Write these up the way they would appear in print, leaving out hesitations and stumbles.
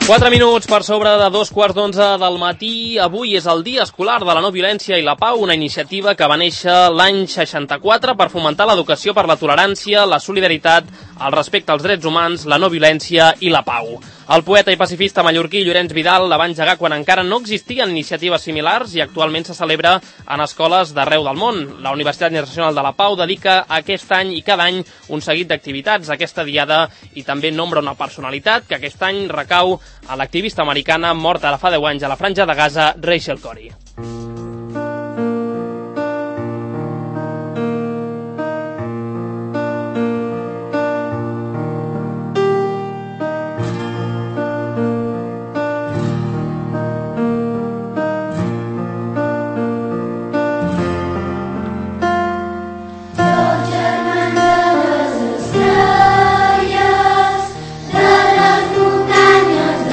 4 minuts per sobre de 2:15 del matí. Avui és el Dia Escolar de la No Violència i la Pau, una iniciativa que va néixer l'any 64 per fomentar l'educació per la tolerància, la solidaritat, el respecte als drets humans, la no violència i la pau. El poeta i pacifista mallorquí Llorenç Vidal la va engegar quan encara no existien iniciatives similars i actualment se celebra en escoles d'arreu del món. La Universitat Internacional de la Pau dedica aquest any i cada any un seguit d'activitats a aquesta diada i també nombra una personalitat que aquest any recau a l'activista americana morta ara fa 10 anys a la Franja de Gaza, Rachel Corrie.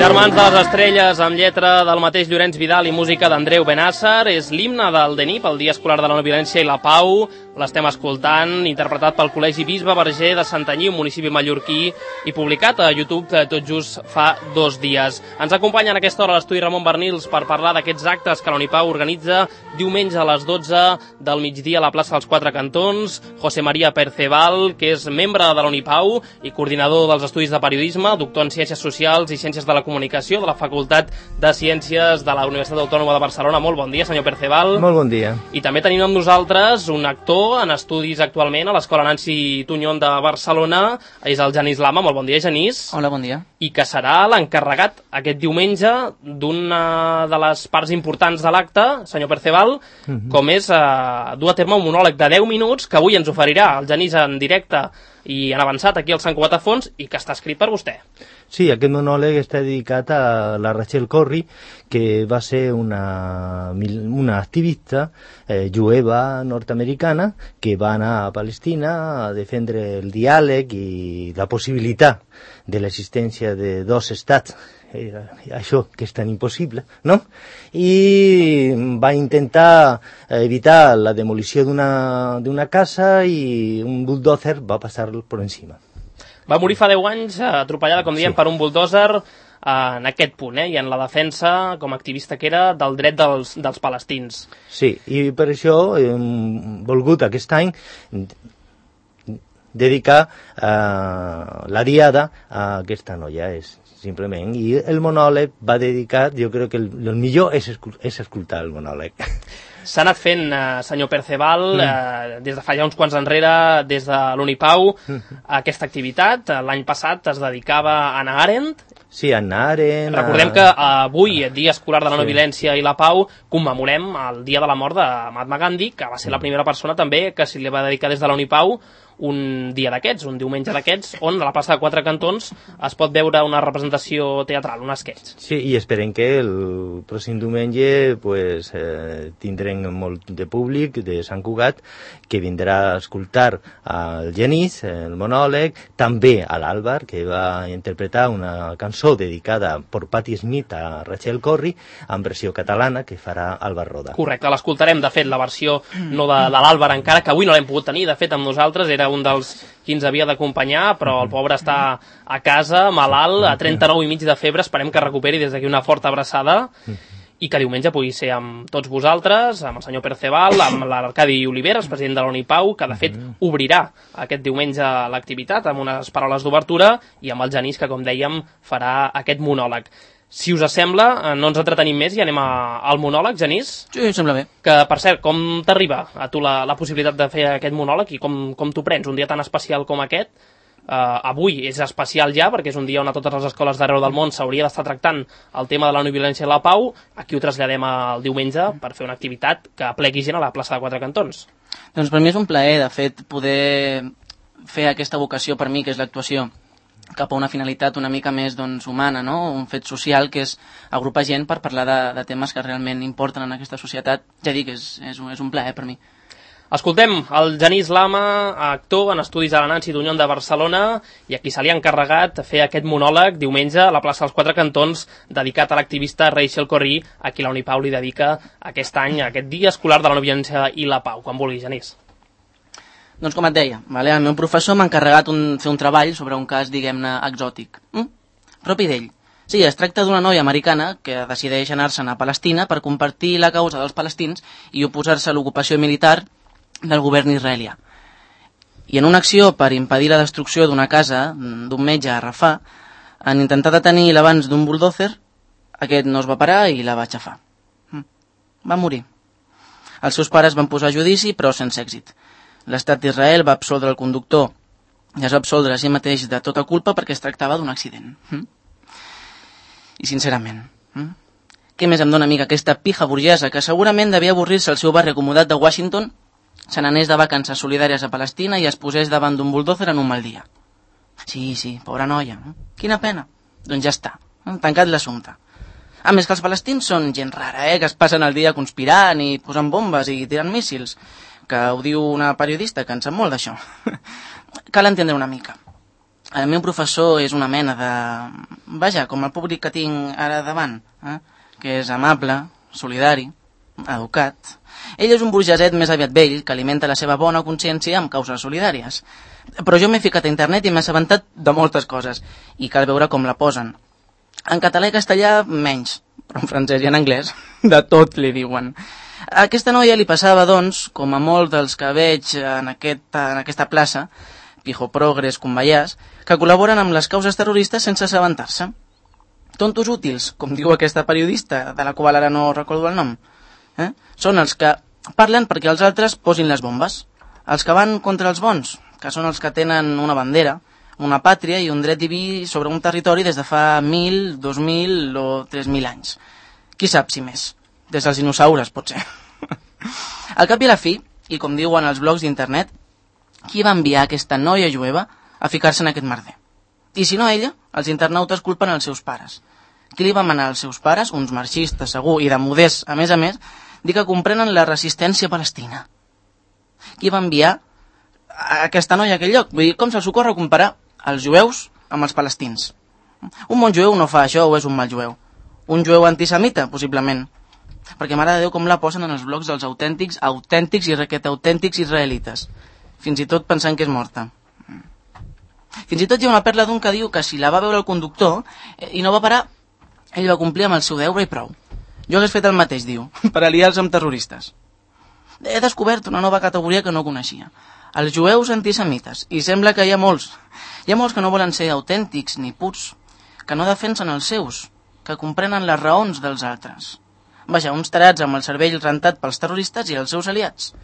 Germans de les Estrelles, amb lletra del mateix Llorenç Vidal i música d'Andreu Benàsser, és l'himne del DNIP, el Dia Escolar de la No Violència i la Pau. L'estem escoltant, interpretat pel Col·legi Bisbe Verger de Santanyí, un municipi mallorquí, i publicat a YouTube tot just fa 2 dies. Ens acompanya en aquesta hora a l'estudi Ramon Bernils per parlar d'aquests actes que la Unipau organitza diumenge a les 12 del migdia a la plaça dels Quatre Cantons. José María Perceval, que és membre de la Unipau i coordinador dels estudis de periodisme, doctor en Ciències Socials i Ciències de la Comunicació de la Facultat de Ciències de la Universitat Autònoma de Barcelona. Molt bon dia, senyor Perceval. Molt bon dia. I també tenim amb nosaltres un actor en estudis actualment a l'Escola Nancy Tuñón de Barcelona, és el Genís Lama. Molt bon dia, Genís. Hola, bon dia. I que serà l'encarregat aquest diumenge d'una de les parts importants de l'acte, senyor Perceval, com és dur a terme un monòleg de 10 minuts que avui ens oferirà el Genís en directe i en avançat aquí al Sant Cugat a Fons i que està escrit per vostè. Sí, aquest monòleg està dedicat a la Rachel Corrie, que va ser una activista jueva nord-americana que va anar a Palestina a defendre el diàleg i la possibilitat de l'existència de 2 estats, això que és tan impossible, no? I va intentar evitar la demolició d'una casa i un bulldozer va passar per encima. Va morir fa 10 anys atropellada, com diem, per un bulldozer en aquest punt, i en la defensa, com a activista que era, del dret dels palestins. Sí, i per això hem volgut aquest any dedicar la diada a aquesta noia, simplement, i el monòleg va dedicat, jo crec que el millor és escoltar el monòleg. S'ha anat fent, senyor Perceval, des de fa ja uns quants enrere, des de l'Unipau, aquesta activitat. L'any passat es dedicava a Hannah Arendt. Sí, a Hannah Arendt. Recordem que avui, Dia Escolar de la No Violència i la Pau, commemorem el dia de la mort de Mahatma Gandhi, que va ser la primera persona també que s'hi va dedicar des de la Unipau un dia d'aquests, un diumenge d'aquests, on a la plaça de Quatre Cantons es pot veure una representació teatral, un esquetx. Sí, i esperem que el pròxim diumenge tindrem molt de públic de Sant Cugat que vindrà a escoltar el Genís, el monòleg, també a l'Àlvar, que va interpretar una cançó dedicada per Patti Smith a Rachel Corrie, en versió catalana, que farà Àlvar Roda. Correcte, l'escoltarem, de fet, la versió no de l'Àlvar encara, que avui no l'hem pogut tenir, de fet, amb nosaltres, era un dels qui ens havia d'acompanyar, però el pobre està a casa, malalt, a 39,5 de febre, esperem que recuperi des d'aquí una forta abraçada i que diumenge pugui ser amb tots vosaltres, amb el senyor Perceval, amb l'Arcadi Oliveres, president de la Unipau, que de fet obrirà aquest diumenge l'activitat amb unes paraules d'obertura, i amb el Genís, que com dèiem farà aquest monòleg. Si us sembla, no ens entretenim més i anem al monòleg, Genís? Sí, em sembla bé. Que, per cert, com t'arriba a tu la possibilitat de fer aquest monòleg i com t'ho prens un dia tan especial com aquest? Avui és especial ja, perquè és un dia on a totes les escoles d'arreu del món s'hauria d'estar tractant el tema de la no violència i la pau. Aquí ho traslladem el diumenge per fer una activitat que plegui gent a la plaça de Quatre Cantons. Doncs per mi és un plaer, de fet, poder fer aquesta vocació per mi, que és l'actuació, cap a una finalitat una mica més humana, no? Un fet social que és agrupar gent per parlar de temes que realment importen en aquesta societat. Ja dic, és un plaer per mi. Escoltem el Genís Lama, actor en estudis a la Nancy Tuñón de Barcelona, i a qui se li ha encarregat fer aquest monòleg diumenge a la plaça dels Quatre Cantons, dedicat a l'activista Rachel Corrie, a qui la Unipau li dedica aquest any, aquest Dia Escolar de la No Violència i la Pau. Quan vulgui, Genís. Doncs com et deia, el meu professor m'ha encarregat fer un treball sobre un cas, diguem-ne, exòtic, propi d'ell. Sí, es tracta d'una noia americana que decideix anar-se'n a Palestina per compartir la causa dels palestins i oposar-se a l'ocupació militar del govern israelià. I en una acció per impedir la destrucció d'una casa d'un metge a Rafah, en intentar detenir l'abans d'un buldòzer, aquest no es va parar i la va aixafar. Va morir. Els seus pares van posar a judici, però sense èxit. L'estat d'Israel va absoldre el conductor i es va absoldre a si mateix de tota culpa perquè es tractava d'un accident. I sincerament, què més em dóna amiga aquesta pija burgesa que segurament devia avorrir-se al seu barri acomodat de Washington, se n'anés de vacances solidàries a Palestina i es posés davant d'un buldòzer en un mal dia. Sí, pobra noia. Quina pena. Doncs ja està, tancat l'assumpte. A més que els palestins són gent rara, que es passen el dia conspirant i posant bombes i tirant míssils, que ho diu una periodista que en sap molt d'això. Cal entendre una mica. El meu professor és una mena de... Vaja, com el públic que tinc ara davant, que és amable, solidari, educat. Ell és un burgeset més aviat vell que alimenta la seva bona consciència amb causes solidàries. Però jo m'he ficat a internet i m'he assabentat de moltes coses i cal veure com la posen. En català i castellà, menys, però en francès i en anglès, de tot li diuen. A aquesta noia li passava, doncs, com a molts dels que veig en aquesta plaça, Pijo Progres, Convallàs, que col·laboren amb les causes terroristes sense assabentar-se. Tontos útils, com diu aquesta periodista, de la qual ara no recordo el nom. Són els que parlen perquè els altres posin les bombes. Els que van contra els bons, que són els que tenen una bandera, una pàtria i un dret diví sobre un territori des de fa 1.000, 2.000 o 3.000 anys. Qui sap si més? Des dels dinosaures, potser. Al cap i a la fi, i com diuen els blogs d'internet, qui va enviar aquesta noia jueva a ficar-se en aquest merder? I si no ella, els internautes culpen els seus pares. Qui li va manar als seus pares, uns marxistes segur i de moders, a més, dir que comprenen la resistència palestina? Qui va enviar a aquesta noia a aquell lloc? Vull dir, com se'ls ocorre comparar els jueus amb els palestins? Un bon jueu no fa això o és un mal jueu? Un jueu antisemita, possiblement. Perquè mare de Déu com la posen en els blogs dels autèntics i requetautèntics israelites. Fins i tot pensant que és morta. Fins i tot hi ha una perla d'un que diu que si la va veure el conductor i no va parar, ell va complir amb el seu deure i prou. Jo hagués fet el mateix, diu, per aliar-se amb terroristes. He descobert una nova categoria que no coneixia. Els jueus antisemites. I sembla que hi ha molts. Hi ha molts que no volen ser autèntics ni purs, que no defensen els seus, que comprenen les raons dels altres. Vaja, uns tarats amb el cervell rentat pels terroristes i els seus aliats.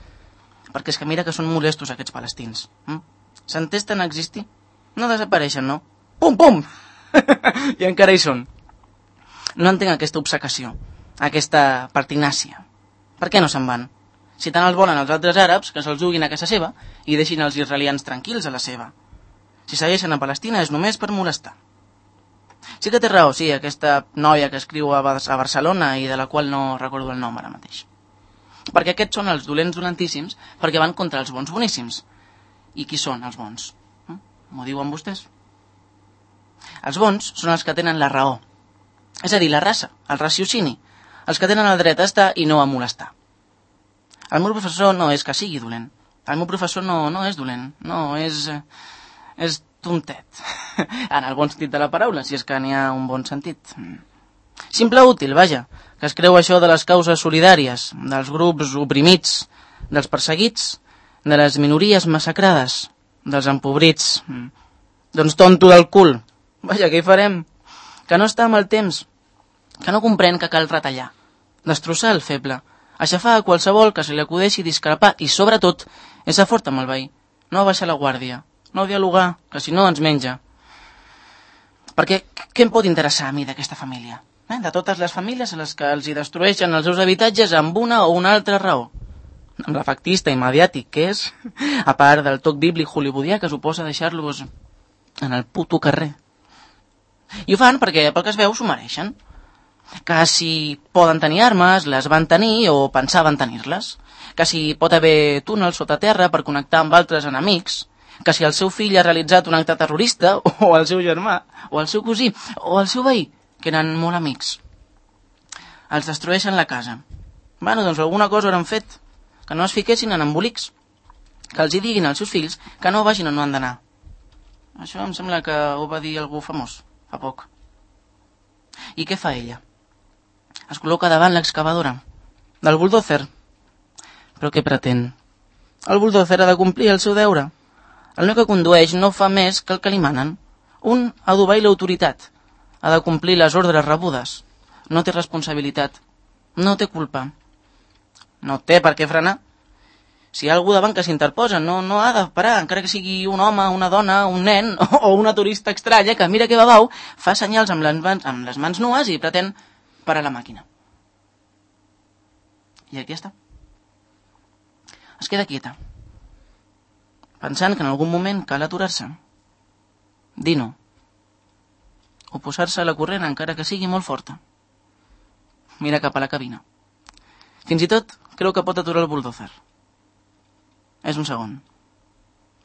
Perquè és que mira que són molestos aquests palestins. S'entesten a existir? No desapareixen, no? Pum! I encara hi són. No entenc aquesta obcecació, aquesta pertinàcia. Per què no se'n van? Si tant els volen els altres àrabs, que se'ls juguin a casa seva i deixin els israelians tranquils a la seva. Si segueixen a Palestina és només per molestar. Sí que té raó, sí, aquesta noia que escriu a Barcelona i de la qual no recordo el nom ara mateix. Perquè aquests són els dolents dolentíssims perquè van contra els bons boníssims. I qui són els bons? M'ho diuen vostès? Els bons són els que tenen la raó. És a dir, la raça, el raciocini, els que tenen el dret a estar i no a molestar. El meu professor no és que sigui dolent. El meu professor no és dolent. No, és tontet. En el bon sentit de la paraula, si és que n'hi ha un bon sentit. Simple útil, vaja, que es creu això de les causes solidàries, dels grups oprimits, dels perseguits, de les minories massacrades, dels empobrits. Doncs tonto del cul. Vaja, què hi farem? Que no està amb el temps, que no comprèn que cal retallar, destrossar el feble, aixafar a qualsevol que se li acudeixi discrepar i, sobretot, ésser fort amb el veí, no baixar la guàrdia, no dialogar, que si no ens menja. Perquè què em pot interessar a mi d'aquesta família? De totes les famílies a les que els hi destrueixen els seus habitatges amb una o una altra raó. Amb l'efectista i mediàtic que és, a part del toc bíblic hollywoodià que suposa deixar-los en el puto carrer. I ho fan perquè, pel que es veu, s'ho mereixen. Que si poden tenir armes, les van tenir o pensaven tenir-les. Que si pot haver túnels sota terra per connectar amb altres enemics. Que si el seu fill ha realitzat un acte terrorista, o el seu germà, o el seu cosí, o el seu veí, que eren molt amics. Els destrueixen la casa. Bueno, doncs alguna cosa hauran fet. Que no es fiquessin en embolics. Que els hi diguin als seus fills que no vagin on no han d'anar. Això em sembla que ho va dir algú famós fa poc. I què fa ella? Es col·loca davant l'excavadora del buldòzer. Però què pretén? El buldòzer ha de complir el seu deure. El noi que condueix no fa més que el que li manen. Un ha d'obeir l'autoritat. Ha de complir les ordres rebudes. No té responsabilitat. No té culpa. No té per què frenar. Si hi ha algú davant que s'interposa, no ha de parar, encara que sigui un home, una dona, un nen o una turista estranya que mira que babau, fa senyals amb les mans nues i pretén parar la màquina. I aquí està. Es queda quieta, pensant que en algun moment cal aturar-se, dir no, o posar-se a la corrent encara que sigui molt forta. Mira cap a la cabina. Fins i tot creu que pot aturar el buldòzer. És un segon.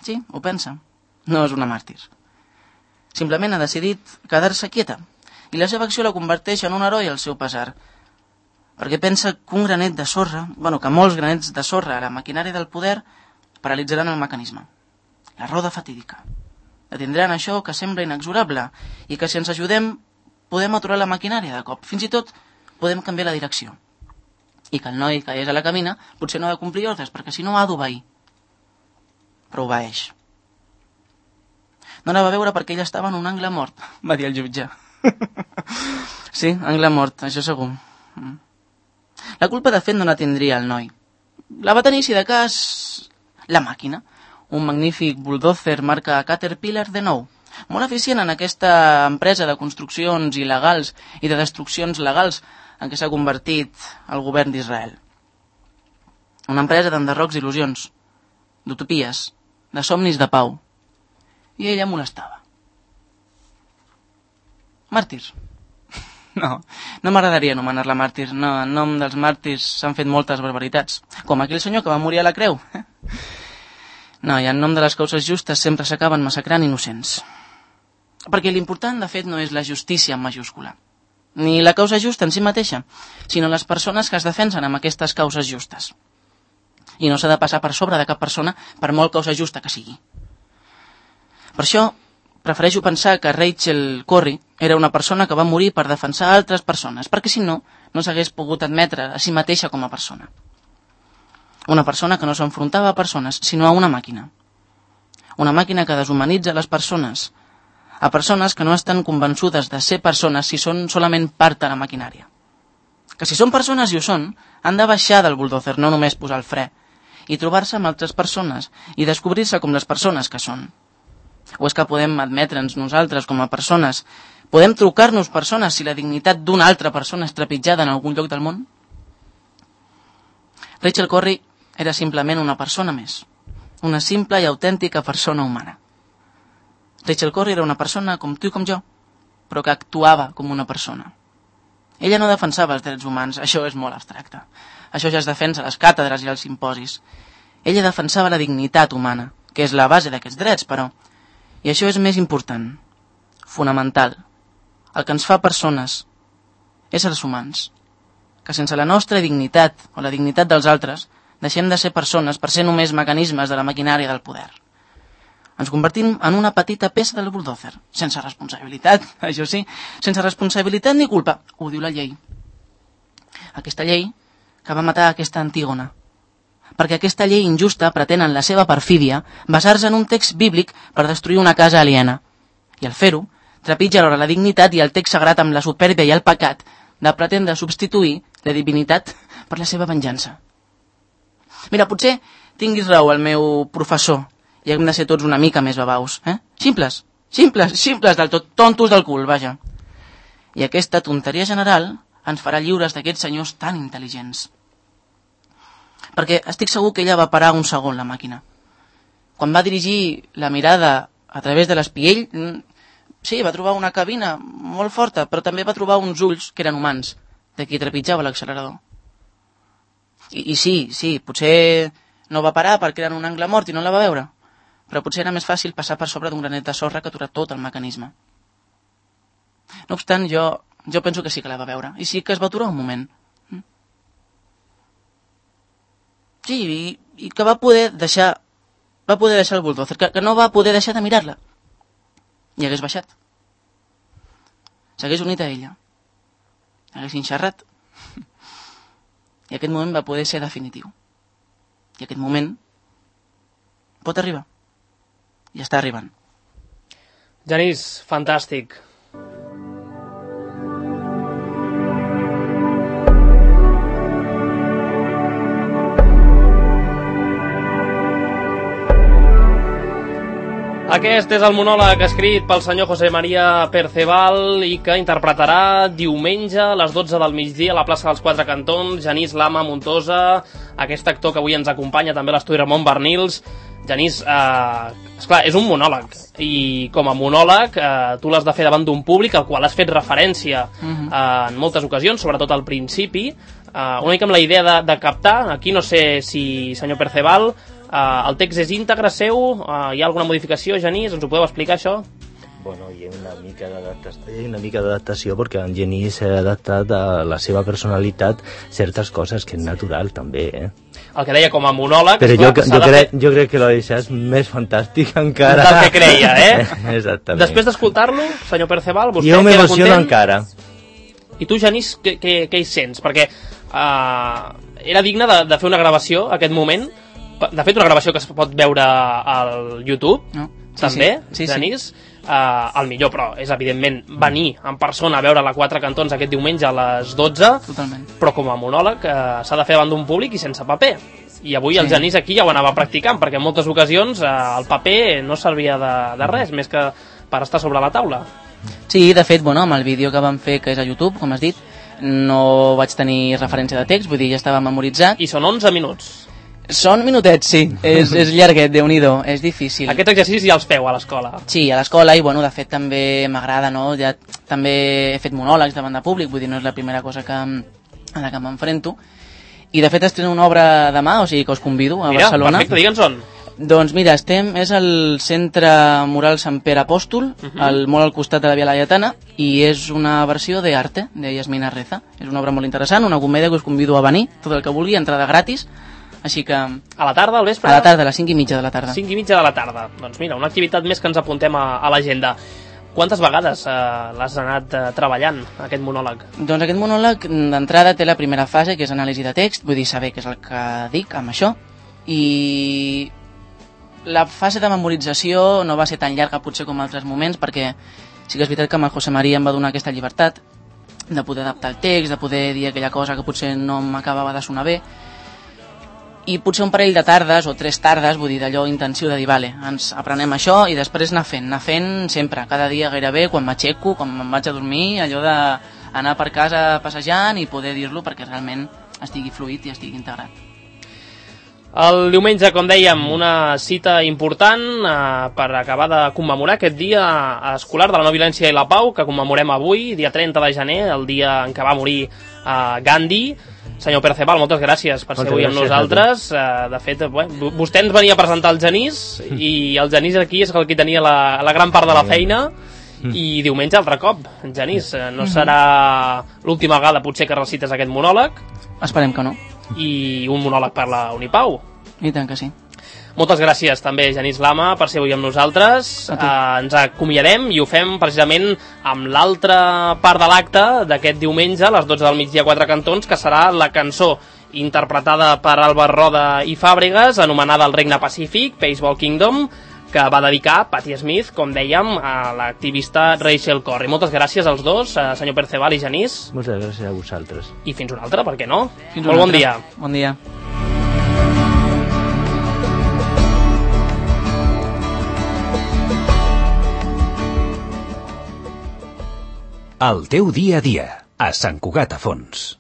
Sí, ho pensa. No és una màrtir. Simplement ha decidit quedar-se quieta i la seva acció la converteix en un heroi al seu pesar, perquè pensa que un granet de sorra, que molts granets de sorra a la maquinària del poder paralitzaran el mecanisme. La roda fatídica. Detindran això que sembla inexorable i que si ens ajudem podem aturar la maquinària de cop. Fins i tot podem canviar la direcció. I que el noi que és a la cabina potser no ha de complir ordres perquè si no ha d'obeir. Però obeeix. No la va veure perquè ella estava en un angle mort, va dir el jutge. Sí, angle mort, això segur. La culpa de fet no la tindria el noi. La va tenir, si de cas, la màquina. Un magnífic buldòzer marca Caterpillar de nou. Molt eficient en aquesta empresa de construccions il·legals i de destruccions legals en què s'ha convertit el govern d'Israel. Una empresa d'enderrocs il·lusions, d'utopies, de somnis de pau. I ella molestava. Màrtir. No m'agradaria anomenar-la màrtir. No, en nom dels màrtirs s'han fet moltes barbaritats. Com aquell senyor que va morir a la creu. No, i en nom de les causes justes sempre s'acaben massacrant innocents. Perquè l'important, de fet, no és la justícia en majúscula, ni la causa justa en si mateixa, sinó les persones que es defensen amb aquestes causes justes. I no s'ha de passar per sobre de cap persona per molt causa justa que sigui. Per això, prefereixo pensar que Rachel Corrie era una persona que va morir per defensar altres persones, perquè si no, no s'hagués pogut admetre a si mateixa com a persona. Una persona que no s'enfrontava a persones, sinó a una màquina. Una màquina que deshumanitza les persones, a persones que no estan convençudes de ser persones si són solament part de la maquinària. Que si són persones i ho són, han de baixar del buldòzer, no només posar el fre, i trobar-se amb altres persones i descobrir-se com les persones que són. O és que podem admetre'ns nosaltres com a persones? Podem trucar-nos persones si la dignitat d'una altra persona és trepitjada en algun lloc del món? Rachel Corrie era simplement una persona més. Una simple i autèntica persona humana. Rachel Corrie era una persona com tu i com jo, però que actuava com una persona. Ella no defensava els drets humans, això és molt abstracte. Això ja es defensa a les càtedres i als simposis. Ella defensava la dignitat humana, que és la base d'aquests drets, però... I això és més important, fonamental, el que ens fa persones, éssers humans, que sense la nostra dignitat o la dignitat dels altres deixem de ser persones per ser només mecanismes de la maquinària del poder. Ens convertim en una petita peça del buldòzer, sense responsabilitat, això sí, sense responsabilitat ni culpa, ho diu la llei. Aquesta llei que va matar aquesta Antígona, perquè aquesta llei injusta pretén en la seva perfídia basar-se en un text bíblic per destruir una casa aliena. I al fer-ho, trepitja alhora la dignitat i el text sagrat amb la supèrbia i el pecat de pretendre substituir la divinitat per la seva venjança. Mira, potser tinguis raó el meu professor i hem de ser tots una mica més babaus, eh? Simples del tot, tontos del cul, vaja. I aquesta tonteria general ens farà lliures d'aquests senyors tan intel·ligents. Perquè estic segur que ella va parar un segon la màquina. Quan va dirigir la mirada a través de l'espiell, sí, va trobar una cabina molt forta, però també va trobar uns ulls que eren humans, de qui trepitjava l'accelerador. I sí, potser no va parar perquè era en un angle mort i no la va veure, però potser era més fàcil passar per sobre d'un granet de sorra que aturar tot el mecanisme. No obstant, jo penso que sí que la va veure, i sí que es va aturar un moment. Sí, i que va poder deixar el buldòzer, que no va poder deixar de mirar-la. I hagués baixat. S'hagués unit a ella. haguessin xerrat. I aquest moment va poder ser definitiu. I aquest moment pot arribar. I està arribant. Genís, fantàstic. Aquest és el monòleg escrit pel senyor José María Perceval i que interpretarà diumenge a les 12 del migdia a la plaça dels Quatre Cantons Genís Lama Montosa, aquest actor que avui ens acompanya també a l'estudi Ramon Bernils. Genís, esclar, és un monòleg i com a monòleg tu l'has de fer davant d'un públic al qual has fet referència en moltes ocasions, sobretot al principi, una mica amb la idea de captar. Aquí no sé si, senyor Perceval, el text és íntegre seu, hi ha alguna modificació, Genís? Ens ho podeu explicar, això? Bueno, hi ha una mica d'adaptació perquè en Genís ha adaptat a la seva personalitat certes coses que és natural també, El que deia com a monòleg... Però jo crec que l'ho deixat més fantàstic encara. Del que creia, Exactament. Després d'escoltar-lo, senyor Perceval, vostè jo queda m'emociono content? encara. I tu, Genís, què hi sents? Perquè era digne de fer una gravació, aquest moment. De fet, una gravació que es pot veure al YouTube, també, Genís. El millor, però, és evidentment venir en persona a veure la Quatre Cantons aquest diumenge a les 12. Totalment. Però com a monòleg s'ha de fer davant d'un públic i sense paper. I avui el Genís aquí ja ho anava practicant, perquè en moltes ocasions el paper no servia de res, més que per estar sobre la taula. Sí, de fet, bueno, amb el vídeo que vam fer, que és a YouTube, com has dit, no vaig tenir referència de text, vull dir, ja estava memoritzat. I són 11 minuts. Són minutets, sí. És llarguet, Déu-n'hi-do, és difícil. Aquest exercici ja els feu a l'escola. Sí, a l'escola, i bueno, de fet també m'agrada, no? Ja també he fet monòlegs davant de públic, vull dir, no és la primera cosa a la que m'enfrento. I de fet estreno una obra demà, o sigui que us convido a Barcelona. Perfecte, digue'ns on. Doncs mira, és al Centre Mural Sant Pere Apòstol, molt al costat de la Via Laietana, i és una versió d'Arte, de Yasmina Reza. És una obra molt interessant, una comèdia que us convido a venir, tot el que vulgui, entrada gratis. Així que... A la tarda, al vespre? A la tarda, a les 5:30 de la tarda. 5:30 de la tarda. Doncs mira, una activitat més que ens apuntem a l'agenda. Quantes vegades l'has anat treballant, aquest monòleg? Doncs aquest monòleg, d'entrada, té la primera fase, que és anàlisi de text, vull dir, saber què és el que dic amb això, i la fase de memorització no va ser tan llarga potser com altres moments, perquè sí que és veritat que amb el José María em va donar aquesta llibertat de poder adaptar el text, de poder dir aquella cosa que potser no m'acabava de sonar bé, i potser un parell de tardes o 3 tardes, vull dir, d'allò intensiu de dir, vale, ens aprenem això i després anar fent sempre, cada dia gairebé, quan m'aixeco, quan me'n vaig a dormir, allò d'anar per casa passejant i poder dir-lo perquè realment estigui fluid i estigui integrat. El diumenge, com dèiem, una cita important per acabar de commemorar aquest dia escolar de la no violència i la pau, que commemorem avui, dia 30 de gener, el dia en què va morir Gandhi. Senyor Perceval, moltes gràcies per ser avui amb nosaltres. De fet, vostè ens venia a presentar el Genís i el Genís aquí és el que tenia la gran part de la feina i diumenge altre cop. Genís, no serà l'última vegada potser que recites aquest monòleg? Esperem que no. I un monòleg per la Unipau. I tant que sí. Moltes gràcies també, Genís Lama, per ser avui amb nosaltres. Ens acomiadem i ho fem precisament amb l'altra part de l'acte d'aquest diumenge a les 12 del migdia a Quatre Cantons, que serà la cançó interpretada per Albert Roda i Fàbregas, anomenada El Regne Pacífic, Peaceful Kingdom, que va dedicar Patti Smith, com dèiem, a l'activista Rachel Corrie. Moltes gràcies als dos, senyor Perceval i Genís. Moltes gràcies a vosaltres. I fins una altra, per què no? Molt bon dia. Bon dia. El teu dia a dia, a Sant Cugat a Fons.